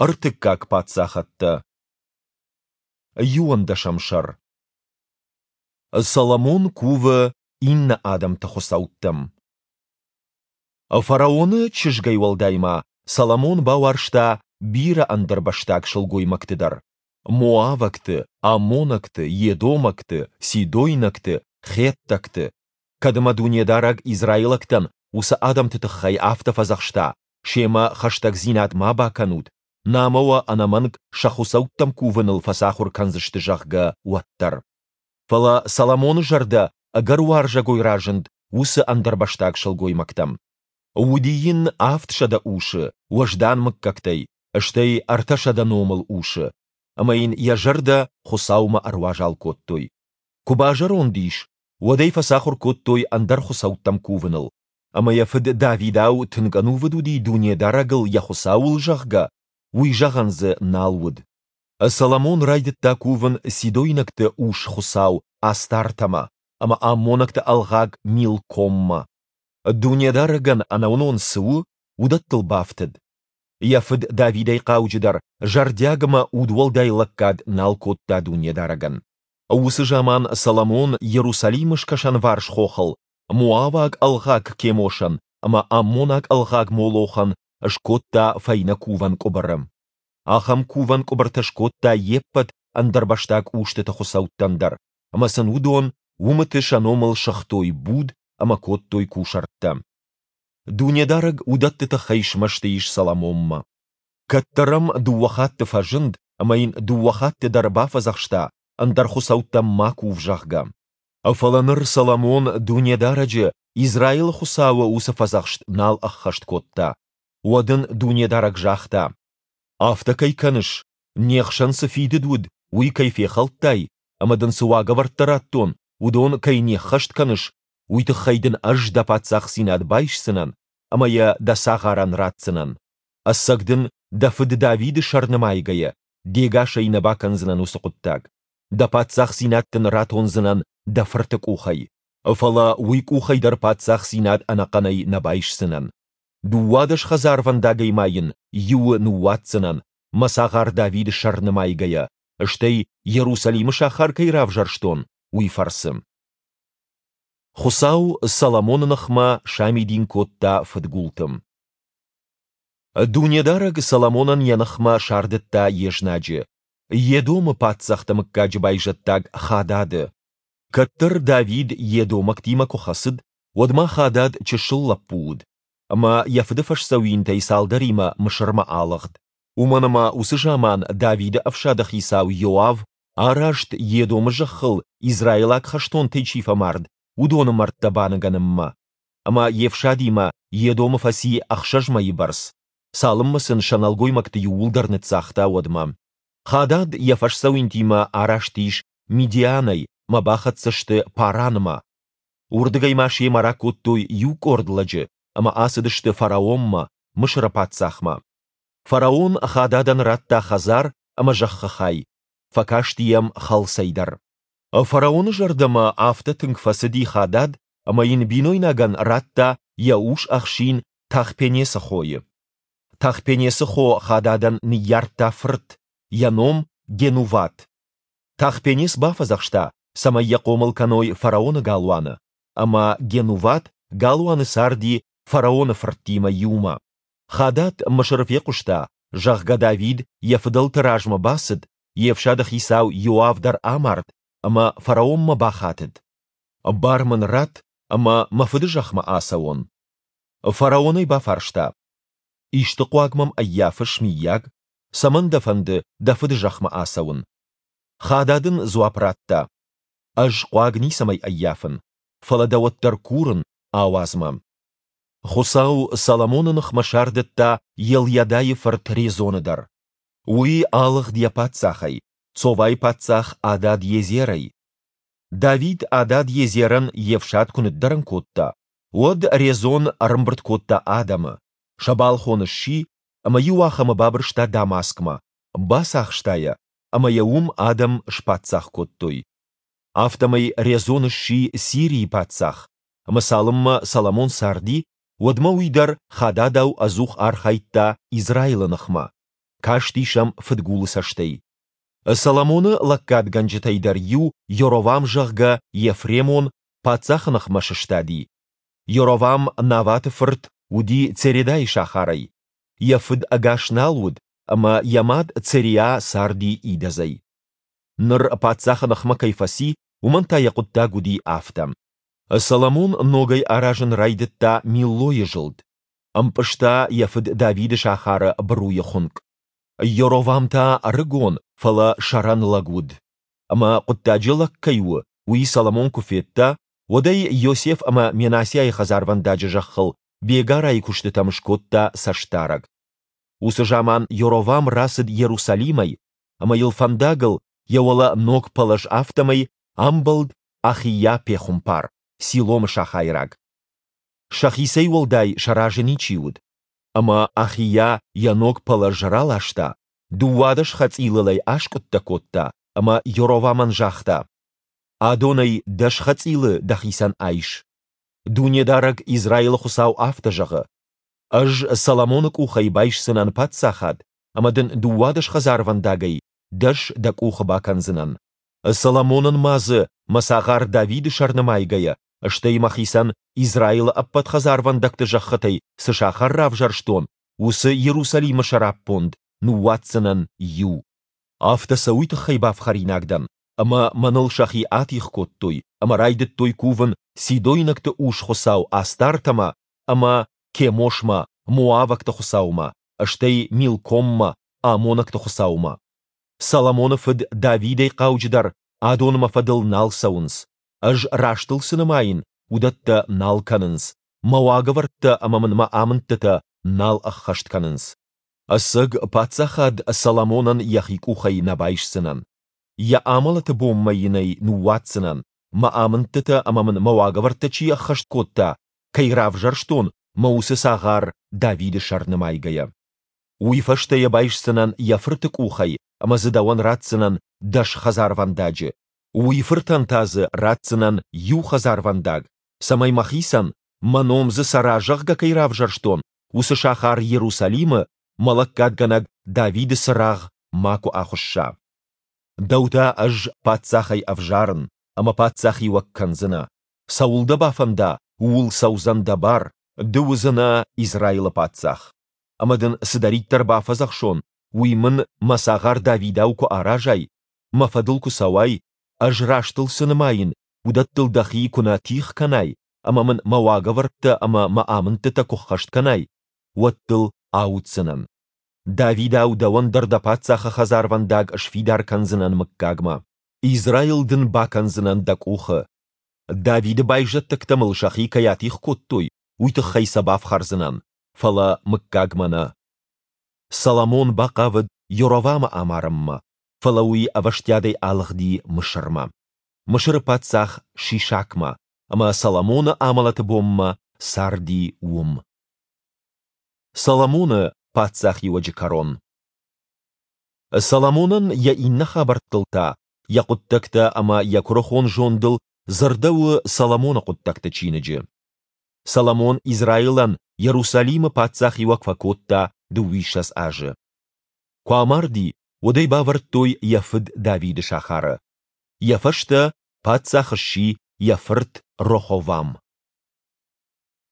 Ӕртыккаг паддзахӕдтӕ. Иуӕндӕсӕм сӕр. Соломон кувы иннӕ адӕмты хуыцӕуттӕм. Фараоны чызгӕй уӕлдай ма Соломон бауарзта бирӕ ӕндӕрбӕстаг сылгоймӕгты дӕр: моавӕгты, аммонӕгты, едомӕгты, сидойнӕгты, хеттӕгты. Кӕд ӕмӕ Дунедарӕг израилӕгтӕн уыцы адӕмты тыххӕй афтӕ фӕдзӕхста, семӕ хӕстӕгдзинад ма бакӕнут, намӕ уӕ ӕнӕмӕнг сӕ хуыцӕуттӕм кувыныл фӕцахуыр кӕндзысты, зӕгъгӕ, уӕддӕр. Фӕлӕ Соломоны зӕрдӕ ӕгӕр уарзӕгой разынд уыцы ӕндӕрбӕстаг сылгоймӕгтӕм. Уыди йын 700 усы уӕздан мыггӕгтӕй, стӕй 300 номыл усы, ӕмӕ йын йӕ зӕрдӕ Хуыцаумӕ ӕруазал кодтой. Куы базӕронд ис, уӕд ӕй фӕцахуыр кодтой ӕндӕр хуыцӕуттӕм кувыныл, ӕмӕ йӕ фыд Давидау тынг ӕнувыд уыди Дунедарӕгыл йӕ Хуыцауыл, зӕгъгӕ, уый зӕгъӕн дзы нал уыд. Соломон райдыдта кувын сидойнӕгты ус-хуыцау Астартӕмӕ ӕмӕ аммонӕгты ӕлгъаг Милкоммӕ. Дунедарӕгӕн ӕнӕуынон цы у, уыдӕттыл бафтыд. Йӕ фыд Давидӕй хъауджыдӕр зӕрдиаг ӕмӕ удуӕлдай лӕггад нал кодта Дунедарӕгӕн. Уыцы заман Соломон Иерусалимы скӕсӕнварс хохыл моаваг ӕлгъаг Кемошӕн ӕмӕ аммонаг ӕлгъаг Молохӕн скодта фӕйнӕ кувӕн къуыбыры. Ахӕм кувӕн къуыбыртӕ скодта йе ппӕт ӕндӕрбӕстаг устыты хуыцӕуттӕн дӕр, ӕмӕ сын уыдон уымыты сӕ номыл сыгътой буд ӕмӕ кодтой кусӕрттӕ. Дунедарӕг уыдӕтты тыххӕй смӕсты ис Соломонмӕ. Кӕддӕр ӕм дыууӕ хатты фӕзынд ӕмӕ йын дыууӕ хатты дӕр бафӕдзӕхста, ӕндӕр хуыцӕуттӕм ма кув, зӕгъгӕ. Фӕлӕ ныр Соломон Дунедарӕджы, Израилы Хуыцауы уыцы фӕдзӕхст нал ӕххӕст кодта. Уӕд ын Дунедарӕг загъта: Афтӕ кӕй кӕныс, не хсӕн цы фидыд уыд, уый кӕй фехӕлдтай, ӕмӕ дын цы уагӕвӕрдтӕ радтон, уыдон кӕй не ххӕст кӕныс, уый тыххӕй дын ӕз дӕ паддзахдзинад байсдзынӕн ӕмӕ йӕ дӕ цагъарӕн ратдзынӕн. Ӕцӕг дын, дӕ фыд Давиды сӕр нымайгӕйӕ, де гасӕй нӕ бакӕндзынӕн уыцы хъуыддаг. Дӕ паддзахдзинад дын ратондзынӕн дӕ фырты къухӕй, фӕлӕ уый къухӕй дӕр паддзахдзинад ӕнӕхъӕнӕй нӕ байсдзынӕн. 12 хӕдзарвӕндагӕй ма йын иуы ныууадздзынӕн, мӕ цагъар Давиды сӕр нымайгӕйӕ, стӕй Иерусалимы сахар кӕй равзӕрстон, уый фӕрцы. Хуыцау Соломоны ныхмӕ самидин кодта фыдгулты. Дунедарӕг Соломонӕн йӕ ныхмӕ сардыдта йе знаджы, Едомы паддзӕхты мыггаджы байзӕддаг Хадады. Кӕддӕр Давид едомӕгтимӕ куы хӕцыд, уӕд ма Хадад чысыл лӕппу уыд, ӕмӕ йӕ фыды фӕсдзӕуинтӕй цалдӕримӕ Мысырмӕ алыгъд, уымӕн ӕмӕ уыцы заман Давиды ӕфсады хицау Иоав араст Едомы зӕххыл израилаг хӕстонтӕй чи фӕмард, уыдоны мӕрдтӕ баныгӕнынмӕ. Ӕмӕ йе фсадимӕ Едомы фӕци ӕхсӕз мӕйы бӕрц, цалынмӕ сын сӕ нӕлгоймӕгты иууылдӕр ныццагъта, уӕдмӕ. Хадад йӕ фӕсдзӕуинтимӕ араст ис Мидианӕй ӕмӕ бахӕццӕ сты Паранмӕ. Уырдыгӕй ма семӕ ракодтой иу къорд лӕджы ӕмӕ ацыдысты фараонмӕ, Мысыры паддзахмӕ. Фараон Хададӕн радта хӕдзар ӕмӕ зӕххы хай, фӕкасти йӕм хӕлцӕй дӕр. Фараоны зӕрдӕмӕ афтӕ тынг фӕцыди Хадад, ӕмӕ йын бинойнагӕн радта йӕ ус-ӕхсин Тахпенесы хойы. Тахпенесы хо Хададӕн ныййардта фырт, йӕ ном Генуват. Тахпенес бафӕдзӕхста, цӕмӕй йӕ хъомыл кӕной фараоны галуаны, ӕмӕ Генуват галуаны царди фараоны фырттимӕ иумӕ. Хадад Мысыры фехъуыста, зӕгъгӕ, Давид йӕ фыдӕлты размӕ бацыд, йе фсады хицау Иоав дӕр амард, ӕмӕ фараонмӕ бахатыд: «Бар мын ратт, ӕмӕ мӕ фыды зӕхмӕ ацӕуон». Фараон ӕй бафарста: «Исты хъуаг мӕм ӕййафыс, мыййаг? Цӕмӕн дӕ фӕнды дӕ фыды зӕхмӕ ацӕуын?» Хадад ын дзуапп радта: «Ӕз хъуаг ницӕмӕй ӕййафын, фӕлӕ дӕ уӕддӕр курын, ауадз мӕ». Хуыцау Соломоны ныхмӕ сардыдта Елйадайы фырт Резоны дӕр. Уый алыгъд йӕ паддзахӕй, Цовайы паддзах Адад-Езерӕй. Давид Адад-Езерӕн йе фсад куы ныддӕрӕн кодта, уӕд Резон ӕрӕмбырд кодта адӕмы, сӕ балхон сси ӕмӕ иуахӕмы бабырста Дамаскмӕ, бацахста йӕ, ӕмӕ йӕ уым адӕм спаддзах кодтой. Афтӕмӕй Резон сси Сирийы паддзах, ӕмӕ цалынмӕ Соломон царди, уӕдмӕ уый дӕр Хададау ӕдзух архайдта Израилы ныхмӕ. касти сӕм фыдгулы цӕстӕй. Соломоны лӕггадгӕнджытӕй дӕр иу, Йоровам, зӕгъгӕ, ефремон, паддзахы ныхмӕ сыстади. Йоровам, Наваты фырт, уыди Цередайы сахарӕй. Йӕ фыд ӕгас нал уыд, ӕмӕ йӕ мад Цериа царди идӕдзӕй. Ныр паддзахы ныхмӕ кӕй фӕци, уымӕн та йӕ хъуыддаг уыди афтӕ. Соломон ногӕй аразын райдыдта Миллойы зылд. Ӕмпъызта йӕ фыд Давиды сахары быруйы хуынкъ. Йоровам та ӕрыгон, фӕлӕ сӕрӕн лӕг уыд. Ӕмӕ хъуыддаджы лӕг кӕй у, уый Соломон куы федта, уӕд ӕй Йосеф ӕмӕ Менассиайы хӕдзарвӕндаджы зӕххыл бегарайы куыстытӕм скодта цӕстдарӕг. Уыцы заман Йоровам рацыд Иерусалимӕй, ӕмӕ йыл фӕндагыл, йӕ уӕлӕ ног пӕлӕз афтӕмӕй, амбӕлд Ахийа-пехуымпар, Силомы сахайраг. Сӕхицӕй уӕлдай сӕ разы ничи уыд. Ӕмӕ Ахийа йӕ ног пӕлӕз раласта, 12 хӕцъилыл ӕй аскъуыдтӕ кодта ӕмӕ Йоровамӕн загъта, Адонӕй 10 хӕцъилы дӕхицӕн айс. Дунедарӕг Израилы Хуыцау афтӕ зӕгъы, Ӕз Соломоны къухӕй байсдзынӕн паддзахад, ӕмӕ дын 12 хӕдзарвӕндагӕй 10 дӕ къухы бакӕндзынӕн. Соломонӕн ма дзы, мӕ цагъар Давиды сӕр нымайгӕйӕ, стӕй мӕхицӕн Израилы ӕппӕт хӕдзарвӕндӕгты зӕххытӕй цы сахар равзӕрстон, уыцы Иерусалимы сӕраппонд ныууадздзынӕн иу. Афтӕ сӕ уый тыххӕй бафхӕринаг дӕн, ӕмӕ мӕныл сӕхи атигъ кодтой ӕмӕ райдыдтой кувын сидойнӕгты ус-хуыцау Астартӕмӕ ӕмӕ Кемошмӕ, моавӕгты хуыцаумӕ, стӕй Милкоммӕ, аммонӕгты хуыцаумӕ. Соломоны фыд Давидӕй хъауджыдӕр адон мӕ фӕдыл нал цӕуынц, ӕз рӕстыл цы нымайын, уыдӕттӕ нал кӕнынц, мӕ уагӕвӕрдтӕ ӕмӕ мын мӕ амындтытӕ нал ӕххӕст кӕнынц. Ӕцӕг паддзахад Соломонӕн йӕхи къухӕй нӕ байсдзынӕн. Йӕ амӕлӕты бонмӕ йын ӕй ныууадздзынӕн, мӕ амындтытӕ ӕмӕ мын мӕ уагӕвӕрдтӕ чи ӕххӕст кодта, кӕй равзӕрстон, мӕ уыцы цагъар Давиды сӕр нымайгӕйӕ. Уый фӕстӕ йӕ байсдзынӕн йӕ фырты къухӕй ӕмӕ дзы дӕуӕн ратдзынӕн 10 хӕдзарвӕндаджы, уый фыртӕн та дзы ратдзынӕн иу хӕдзарвӕндаг, цӕмӕй мӕхицӕн, мӕ ном дзы цӕра, зӕгъгӕ, кӕй равзӕрстон, уыцы сахар Иерусалимы мӕ лӕггадгӕнӕг Давиды цырагъ макуы ахуысса. Дӕу та ӕз паддзахӕй ӕвзарын, ӕмӕ паддзахиуӕг кӕндзынӕ. Цӕуыл дӕ бафӕнда, ууыл цӕудзӕн дӕ бар, ды уыдзынӕ Израилы паддзах. Ӕмӕ дын цыдӕриддӕр бафӕдзӕхсон, уый мын мӕ цагъар Давидау куы аразай, мӕ фӕдыл куы цӕуай, ӕз рӕстыл цы нымайын, уыдӕттыл дӕхи куы нӕ тигъ кӕнай ӕмӕ мын мӕ уагӕвӕрдтӕ ӕмӕ мӕ амындтытӕ куы ххӕст кӕнай, уӕд дыл ауддзынӕн. Давидау дӕуӕн дӕр дӕ паддзахы хӕдзарвӕндаг сфидар кӕндзынӕн мыггагмӕ. Израил дын бакӕндзынӕн дӕ къухы. Давиды байзӕддӕгтӕ мыл сӕхи кӕй атигъ кодтой, уый тыххӕй сӕ бафхӕрдзынӕн, фӕлӕ мыггагмӕ нӕ. Соломон бахъавыд Йоровамы амарынмӕ, фӕлӕ уый ӕвӕстиатӕй алыгъди Мысырмӕ. Мысыры паддзах Шишакмӕ, ӕмӕ Соломоны амӕлӕты бонмӕ царди уым. Соломоны паддзахиуӕджы кӕрон. Соломонӕн йӕ иннӕ хабӕрттыл та, йӕ хъуыддӕгтӕ ӕмӕ йӕ куырыхон зондыл дзырдӕуы Соломоны хъуыддӕгты чиныджы. Соломон Израилӕн Иерусалимы паддзахиуӕг фӕкодта 22 азы. Куы амарди, уӕд ӕй бавӕрдтой йӕ фыд Давиды сахары. Йӕ фӕстӕ паддзах сси йӕ фырт Роховам.